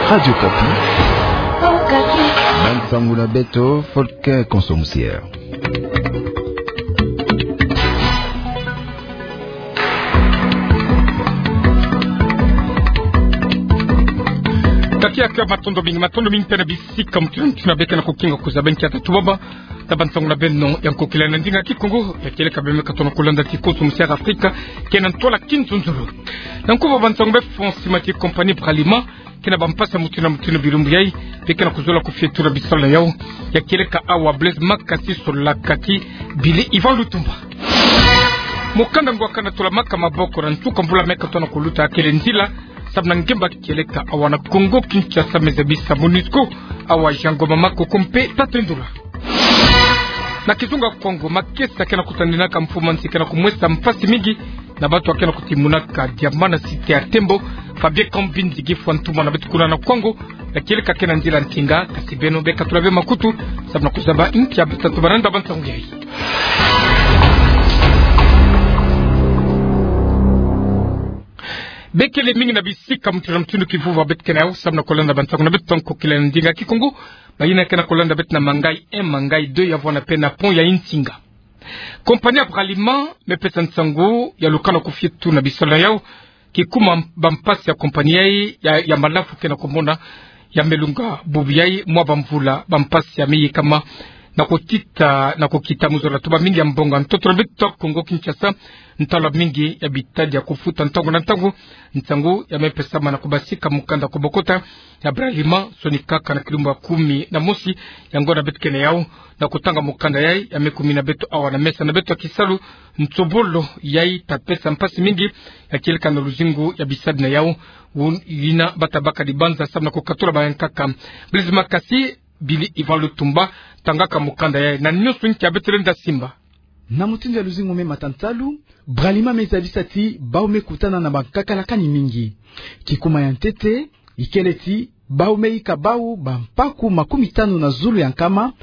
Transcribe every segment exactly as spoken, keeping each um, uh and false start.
Radio Okapi. Bansangu na beto, Volker Konso Musier. Tata, matondo mingi, matondo mingi mpe na bisika mutuna mutuna beke na kukinga kuzaba nkia tatu baba. Na bansangu na beno ya nkokila na ndinga Kikongo, ya kieleka beno me katuka na kulanda ti Konso Musier Afrika, ke na ntwala kinzonzolo. Na nkuvu bansangu befo, nsima ti compagnie Bralima, ke na bampasi ya mutuna mutuna bilumbu yai, beke na kuzola kufietula bisalu na yau, ya kieleka awa Blaise Makasi Sola kati Billy Ivan Lutumba. Mukanda ngwa kana tula maka maboko na nsuka mvula me katuka na kuluta, kele nzila samu na ngemba kieleka awa na Kongo Kinshasa, me zabisa MONUSCO, awa Jean Ngoma Makoko mpe Tata Ndula. Na kizunga Kongo, makesa ke na kutandinaka mfumu a nsi ke na kumwesa mpasi mingi na bantu ake na kutimunaka diamant na site ya Tembo, Fabien Kambinzi, kifu a ntuma na beto kuna na Kwango, ya kieleka ke na nzila ntinga, kasi beno beka tula beno makutu samu na kuzaba nkia beto tatu balanda bansangu yai. Bekele mingi na bisika mutuna mutuna kivuva beto ke na yau samu na kulanda bansangu na beto ya nkokila na ndinga Kikongo. Bayina ke na kulanda beto na Mangayi un, Mangayi deux, ya vwanda mpe na pont ya Nsinga. Compagnie ya Bralima me pesa nsangu ya lukana kufietula bisalu na yau, kikuma bampasi ya compagnie yai ya, ya malafu ke na kumona ya me lunga bubu yai mwa bamvula, bampasi ya me yikama na kukita, na kukita mu zola tuba mingi ya mbongo ya ntoto na beto Kongo Kinshasa, ntalu mingi ya bitadi ya kufuta ntangu na ntangu. Nsangu ya me pesama na kubasika mukanda kubokota ya Bralima, sonikaka na kilumbu ya kumi na mosi ya ngonda beto ke na yau, na kutanga mukanda yai ya me kumina beto awa na mesa na beto ya kisalu. Nsobolo yai ta pesa mpasi mingi, ya kieleka na luzingu ya bisadi na yau, wun-, yina bata baka dibanza samu na kukatula bayankaka. Blaise Makasi, Billy Ivan Lutumba tangaka mukanda yai, na nyonso nkia beto lenda simba. Na mutindu ya luzingu me mata ntalu, Bralima me zabisa ti bau me kutana na bankakalakani mingi. Kikuma ya ntete, ikele ti bau me yika bau bampaku makumi tanu na zulu ya nkama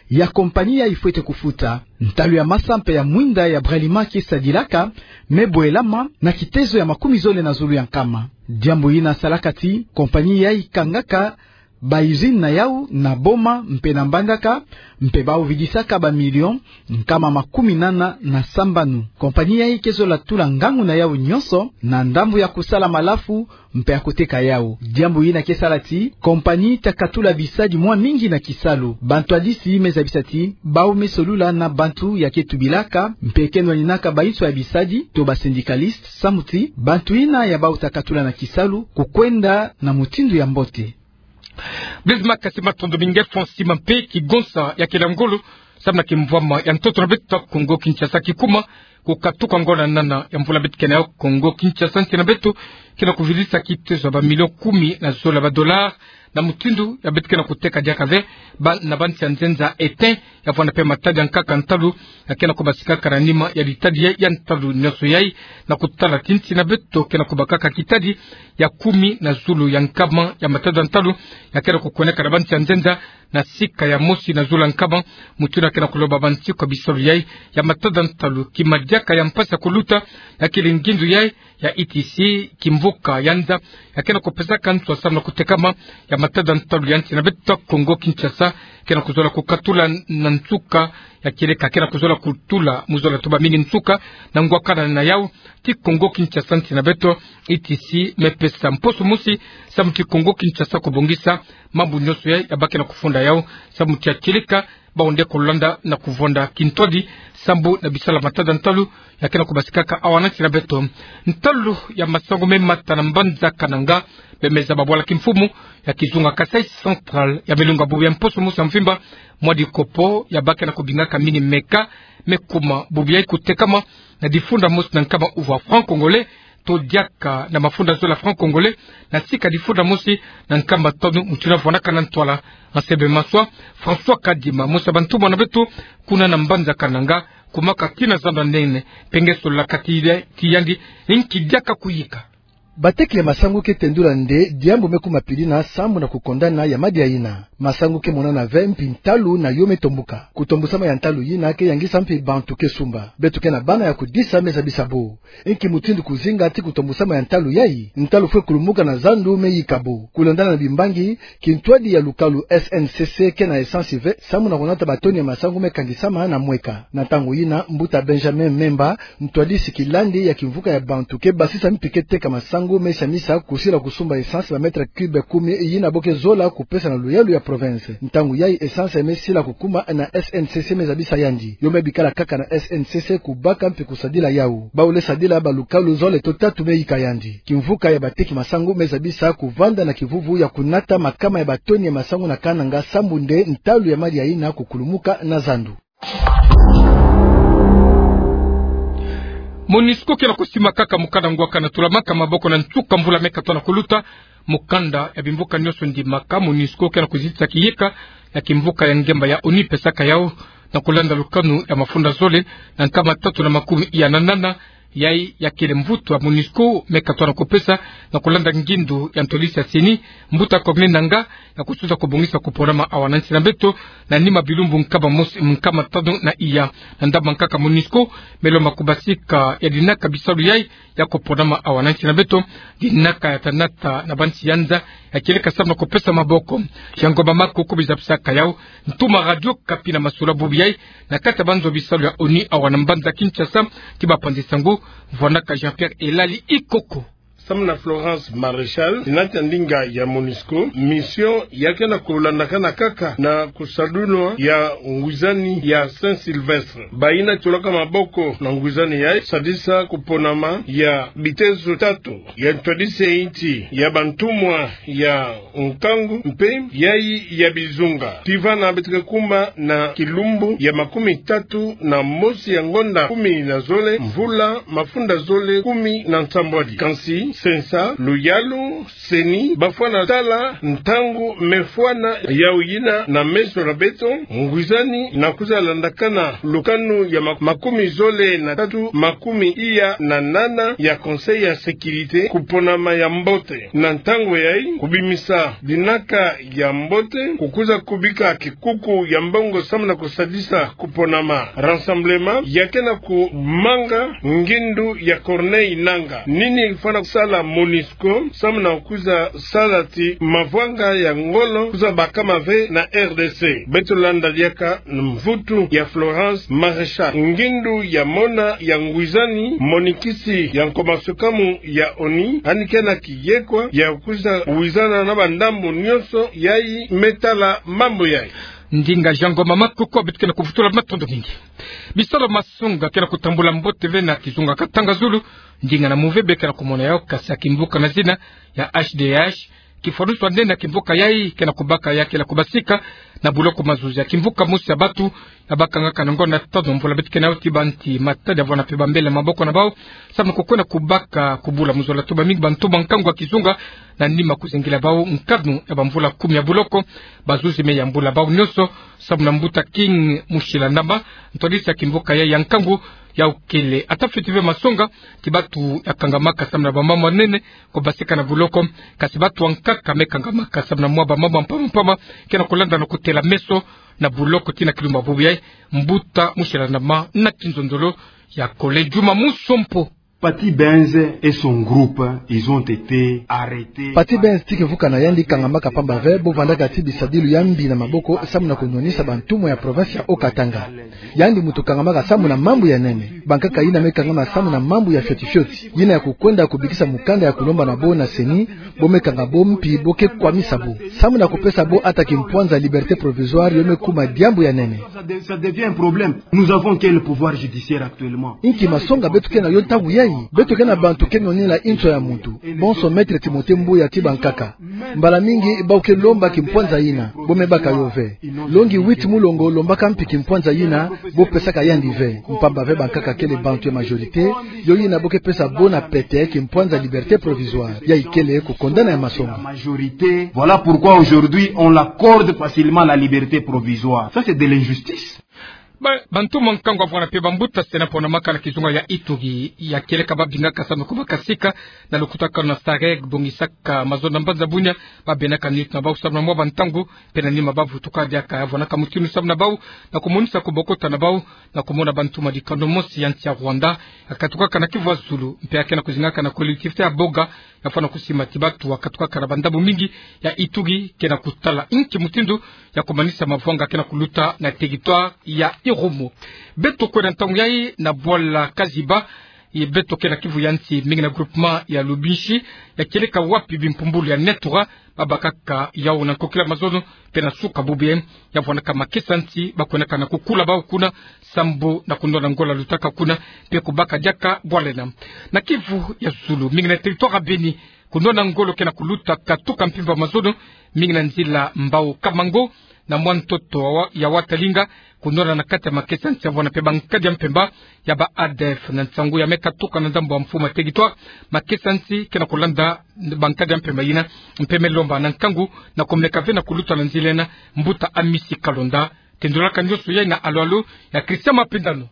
ya compagnie yai fwete kufuta. Ntalu ya masa mpe ya mwinda ya Bralima ke sadilaka me bwelama na kitezo ya makumi zole na zulu ya nkama. Diambu yina salaka ti compagnie yai kangaka ba usine na yau na Boma mpe na Mbandaka, mpe bau vidisaka ba million nkama makumi nana na sambanu. Compagnie yai ke zola tula ngangu na yau nyonso na ndambu ya kusala malafu mpe ya kuteka yau. Diambu yina ke sala ti compagnie ta katula bisadi mwa mingi na kisalu. Bantu ya disi me zabisa ti bau me solula na bantu ya ke tubilaka mpe ke nwaninaka bansoni ya bisadi to ba syndicalistes, samu ti bantu yina ya bau ta katula na kisalu kukwenda na mutindu ya mbote. Blaise Makasi, matondo mingi. Fo nsima mpe kigonsa ya kila ngolo samu na kimvwama ya ntoto na beto Kongo Kinshasa kikuma kukatuka ngonda nana ya mvula beto ke na yau. Kongo Kinshasa, nsi na beto, ke na kuvidisa kitezo ya ba million kumi na zole ya ba dollars, na mutindu ya beto ke na kuteka diaka ve ba, na bansi ya nzenza, étain, ya vwanda mpe matadi ya nkaka ntalu ya ke na kubasikaka na nima ya bitadi ya, ya ntalu nyonso yai, na kutala ti nsi na beto ke na kubakaka kitadi ya kumi na zulu ya nkama ya matadi ya ntalu ya ke na kukweneka na bansi ya nzenza, na sika ya mosi na zulu ya nkama. Mutindu ya ke na kuloba bansiku ya bisalu yai ya matadi ya ntalu, kima diaka ya mpasi ya kuluta, ya kele ngindu yai ya I T C, kimvuka ya nza ya ke na kupesaka nswa samu na kutekama ya matadi ya ntalu ya nsi na beto Kongo Kinshasa, ke na kuzola kukatula na nsuka, ya kieleka ke na kuzola kutula mu zola tuba mingi nsuka na ngwakana na yau. Ti Kongo Kinshasa, nsi na beto, I T C me pesa mposo mosi samu ti Kongo Kinshasa kubongisa mambu nyonso ya, ya ba ke na kufunda yau, samu ti ya kieleka bau nde kulanda na kuvonda kintwadi sambu na bisalu ya matadi ya ntalu ya ke na kubasikaka awa na nsi na beto. Ntalu ya masangu me mata na mbanza Kananga, bemeza babwala kimfumu ya kizunga Kasaï Central ya me lunga bubu ya mposo mosi ya mvimba mwa dikopo ya ba ke na kubingaka mini meka, me kuma bubu yai kutekama na difunda mosi na nkama uvu ya franc congolais, to diaka na mafunda zole ya franc congolais, na sika difunda mosi na nkama tanu. Mutindu ya vwandaka na ntwala, Ansebe Maswa, François Kadima, mosi ya bantumwa na beto kuna na mbanza Kananga, kumaka kina zando ya nene, mpe nge sola kati ya, ti yandi, ni nki diaka kuyika. Bateki ya masangu ke tendula nde diambu me kuma pili na sambu na kukondana ya madia yina. Masangu ke monana ve mpi ntalu na yo me tombuka. Kutombusama ya ntalu yina ke yangisa mpi bantu ke sumba. Beto ke na bana ya kudisa me zabisa bo. Nki mutindu kuzinga ti kutombusama ya ntalu yayi? Ntalu fwe kulumuka na zandu me yika bo. Kulandana na bimbangi, kintwadi ya lukalu S N C C ke na essence ve, sambu na kunata batoni ya masangu me kangisama na mweka. Na ntangu yina, mbuta Benjamin Memba, ntwadisi kilandi ya kimvuka ya bantu ke basisa mpi ke teka masangu me siamisa kusila kusumba essence ba mètre cube kumi yina bo ke zola kupesa na luyalu ya province. Ntangu yayi essence me sila kukuma na S N C C me zabisa yandi. Yo me bikala kaka na S N C C kubaka mpi kusadila yawu. Bawu le sadila ba lukalu zole to tatu me yika yandi. Kimvuka ya bateki masangu me zabisa kuvanda na kivuvu ya kunata makama ya batoni ya masangu na Kananga sambu nde ntalu ya madia yina kukulumuka na zandu. MONUSCO ke na kusimakaka mukanda ngwaka na tulamaka maboko na nsuka mvula me katoa na kuluta. Mukanda ya bimvuka nionso ndimaka MONUSCO ke na kuzitisa kiyeka na kimvuka ya ngemba ya ONU pesaka yawu, na kulanda lukanu ya mafunda zole na nkama tatu na makumi iya na nana, yayi ya kele mvutu ya MONUSCO me katoa na kupesa, na kulanda ngindu ya ntwadisi ya CENI, mbuta Corneille Nangaa, ya kusuza kubongisa kuponama awa na nsi na beto, na nima bilumbu nkama mos-, nkama tanu na iya. Na ndambu nkaka MONUSCO me lomba kubasika ya dinaka bisalu yayi ya kuponama awa na nsi na beto, dinaka ya tanata na bansi ya nza, ya kieleka sambu na kupesa maboko. Jean Ngoma Makoko biza bisaka yawu, ntuma Radio Okapi na masolo bubu yayi, na kati ya banzo bisalu ya ONU awa na mbanza Kinshasa, ti bapanzi sango, vwanaka Jean-Pierre Elali Ikoko. Sambu na Florence Maréchal, tinata ndinga ya MONUSCO, mission ya ke na kulandakana kaka na kusadunwa ya ngwizani ya Saint-Sylvestre. Bayina tolaka maboko na ngwizani yayi, sadisa kuponama ya bitezo tatu, ya ntwadisi ya insi, ya bantumwa ya nkangu mpe yayi ya bizunga. Tii vana beto ke kuma na kilumbu ya makumi tatu na mosi ya ngonda kumi na zole, mvula mafunda zole kumi na nsambwadi. Kansi, sensa, luyalu, CENI, bafwana tala ntangu me fwana yawu yina na meso na beto, ngwizani na kwiza landakana lukanu ya ma-, makumi zole na tatu, makumi iya na nana ya Conseil ya Sécurité, kuponama ya mbote. Na ntangu yayi, kubimisa dinaka ya mbote, kukwiza kubika kikuku ya mbongo sambu na kusadisa kuponama. Rassemblement ya ke na kumanga ngindu ya Corneille Nangaa. Nini fwana sala MONUSCO, sambu na kwiza sala ti mavwanga ya ngolo kwiza bakama ve na R D C. Beto landa diaka mvutu ya Florence Maréchal, ngindu ya mona ya ngwizani monikisi ya nkoma sukamu ya ONU, yandi ke na kiyekwa ya kwiza wizana na bandambu nionso yayi me tala mambu yayi. Ndinga Jean Ngoma Makoko, beto ke na kuvutula matondo mingi. Bisalu masonga ke na kutambula mbote ve na kizunga Katanga Zulu, ndinga na move be ke na kumona yawu, kasi ya kimvuka na zina ya H D H, kifwanusu nene ya kimvuka yayi ke na kubaka ya kele kubasika na buloko mazuzi ya kimvuka mosi ya bantu ya bakangaka na ngonda tanu mvula beto ke na yo ti banti matadi ya vwana mpe bambele maboko na bawu, sambu na kukwenda kubaka kubula mu zola. Tuba mingi bantu ba nkangu ya kizunga, na nima kuzengila bawu nkanu ya bamvula kumi ya buloko, bazuzi me yambula bawu nionso, sambu na mbuta King Mushilandama, ntwadisi ya kimvuka yayi ya nkangu, yawu kele ata fweti ve masonga ti bantu ya kangamaka sambu na bamambu ya nene kubasika na buloko, kasi bantu ya nkaka me kangamaka sambu na mwa bamambu mpamba mpamba ke na kulanda na kutela meso na buloko tii na kilumbu bubu yayi. Mbuta Mushilandama na kinzonzolo ya Collège Juma Musompo. Pathy Bens et son groupe, ils ont été arrêtés. Pathy Bens ti kimvuka na yandi kangamaka mpamba ve, bo vandaka ti bisadilu ya mbi na maboko, sambu na kunwanisa bantumwa ya province ya Haut-Katanga. Yandi muntu kangamaka sambu na mambu ya nene. Bankaka yina me kangama sambu na mambu ya fioti fioti, yina ya kukwenda kubikisa mukanda ya kulomba na bo na CENI, bo me kanga bo mpi bo ke kwamisa bo. Sambu na kupesa bo ata kimpwanza liberté provisoire, yo me kuma diambu ya nene. Ça de-, ça devient un problème. Nous avons quel pouvoir judiciaire actuellement ? Inki masonga beto ke na yo ntangu yayi? Beto ke na bantu ke nwanina inso ya muntu. Bonso Maître Timothée Mbuya ti bankaka. Mbala mingi bawu ke lomba kimpwanza yina, bo me baka yo ve. Longi huit Mulongo lombaka mpi kimpwanza yina, bo pesaka yandi ve. Mpamba ve bankaka kele bantu ya majorité, yo yina bo ke pesa bo na pete kimpwanza liberté provisoire. Yayi kele kukondana ya masonga. Majorité. Voilà pourquoi aujourd'hui on l'accorde facilement la liberté provisoire. Ça, c'est de l'injustice. Ba, bantu mwa nkangu avwanga mpe bambuta se na pona maka na kizunga ya Ituri, ya kieleka babingaka samu na kubaka sika na lukutakanu na SAREC, bongisaka mazono na mbanza bunia, babenaka nitu na bau samu na mwa bantangu, mpe na nima bavutuka diaka, ya vwanaka mutindu samu na bau na kumonisa kubokota na bau na kumona bantu mwa dikando mosi ya nsi ya Rwanda, ya katukaka na kivu ya zulu, mpe ya kena kuzingaka na collectivité ya Boga, ya fwana kusimati batu ya katukaka na bandambu mingi ya Ituri, kena kutala inki mutindu ya kumanisa mavwanga kena kuluta na territoire ya Irumu. Beto kwenda ntangu yayi na bwala Kaziba, ye beto ke na kivu ya nsi, mingi na groupement ya Lubumbashi, ya kieleka wapi bimpumbulu ya NETURA babakaka yau na nkokila mazono, mpe na suka bubu yayi, ya vwanaka makesa nsi bakwenaka na kukula bau kuna, sambu na kunwana ngola lutaka kuna, mpe kubaka diaka bwala ena. Na kivu ya zulu, mingi na territoire ya Beni, kunwana ngolo kena kuluta katuka mpimpa mazono, mingi na nzila Mbao Kamango, na mwa ntoto wa, ya Watalinga, kunwana na kati ya makesa nsi ya vwana mpe bankadi ya mpemba ya ba ADF. Na nsangu ya me katuka na ndambu ya mfumu ya territoire, makesa nsi kena kulanda bankadi ya mpemba yina, mpe me lomba na nkangu na kumeka ve na kuluta na nzila ena. Mbuta Amisi Kalonda, tendulaka nioso yayi na alo-alo ya Christian Mapindano.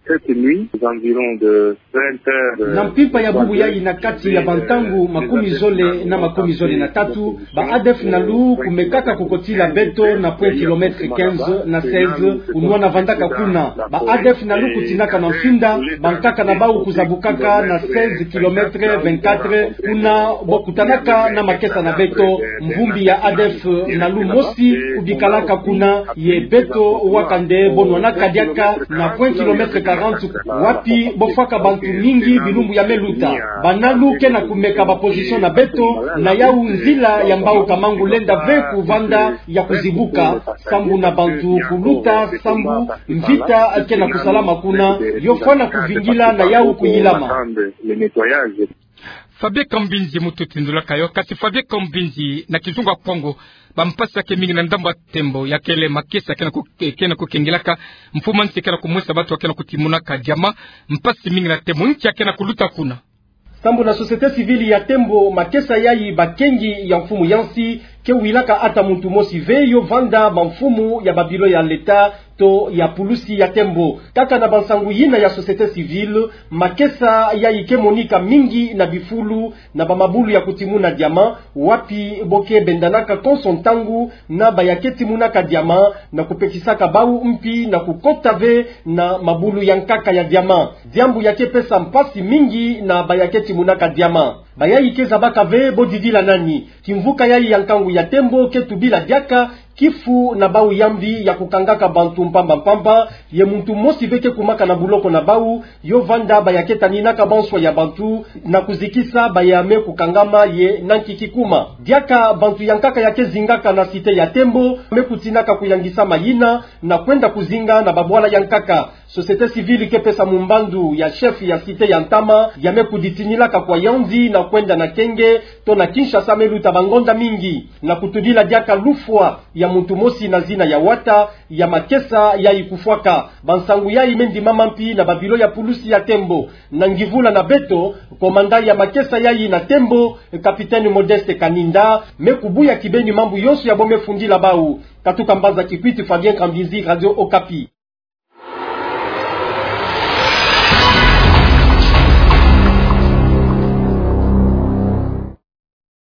Cette nuit, aux environs de vingt heures, euh, na mpimpa ya bubu yayi, na kati ya bantangu makumi zole na makumi zole na tatu, ba ADF Nalu kumekaka kukotila beto na point kilomètre quinze na seize, kunwana vandaka kuna. Ba ADF Nalu kutinaka na mfinda, bankaka na bau kuzabukaka na seize kilomètre vingt-quatre, kuna bo kutanaka na makesa na beto. Mvumbi ya ADF Nalu mosi kubikalaka kuna, ye beto wakande bo nwanaka diaka na point kilomètre quarante, wapi bo fwaka bantu mingi bilumbu ya me luta. Ba Nalu kena kumeka ba position na beto, na yau nzila ya Mbao Kamango lenda ve kuvanda ya kuzibuka, sambu na bantu kuluta, sambu mvita kena kusalama kuna, yo fwana kuvingila na yau kuyilama. Fabien Kambinzi mutu tindulaka yo. Kasi Fabien Kambinzi, na kizunga Kongo, bampasi ya ke mingi na ndambu ya Tembo, ya kele makesa kena ku-, kena kukengelaka, mfumu ya nsi kena kumwesa batu ya kena kutimunaka diamant, mpasi mingi na Tembo, nki ya kena kuluta kuna? Sambu na société civile ya Tembo, makesa yayi bakengi ya mfumu ya nsi, ke wilaka ata muntu mosi ve yo vanda bamfumu ya babilo ya leta to ya pulusi ya Tembo. Kaka na bansangu yina ya société civile, makesa yayi ke monika mingi na bifulu na bamabulu ya kutimuna diamant, wapi bo ke bendanaka konso ntangu na baya ke timunaka diamant, na kupekisaka bau mpi na kukota ve na mabulu ya nkaka ya diamant. Diambu ya ke pesa mpasi mingi na baya ke timunaka diamant. Bayayi ke zabaka ve bo didila nani. Kimvuka yayi ya nkangu ya Tembo ke tubila diaka kifu na bau ya mbi ya kukangaka bantu mpamba-mpamba, ye muntu mosi ve ke kumaka na buloko na bau, yo vanda baya ke taninaka banswa ya bantu, na kuzikisa baya me kukangama ye na nki kikuma. Diaka bantu ya nkaka ya ke zingaka na cité ya Tembo me kutinaka kuyangisama yina, na kwenda kuzinga na babwala ya nkaka. Société civile ke pesa mumbandu ya chef ya cité ya ntama, ya me kuditinilaka kwa Yaoundé na kwenda na Kenge, to na Kinshasa me luta bangonda mingi, na kutudila diaka lufwa ya muntu mosi na zina ya Wata, ya makesa yayi kufwaka. Bansangu yayi me ndimama mpi na babilo ya pulusi ya Tembo. Na ngivula na beto, komanda ya makesa yayi na Tembo, capitaine Modeste Kaninda, me kubuya kibeni mambu yonso ya bo me fundila bau. Katuka mbanza Kikwit, Fabien Kambinzi, Radio Okapi.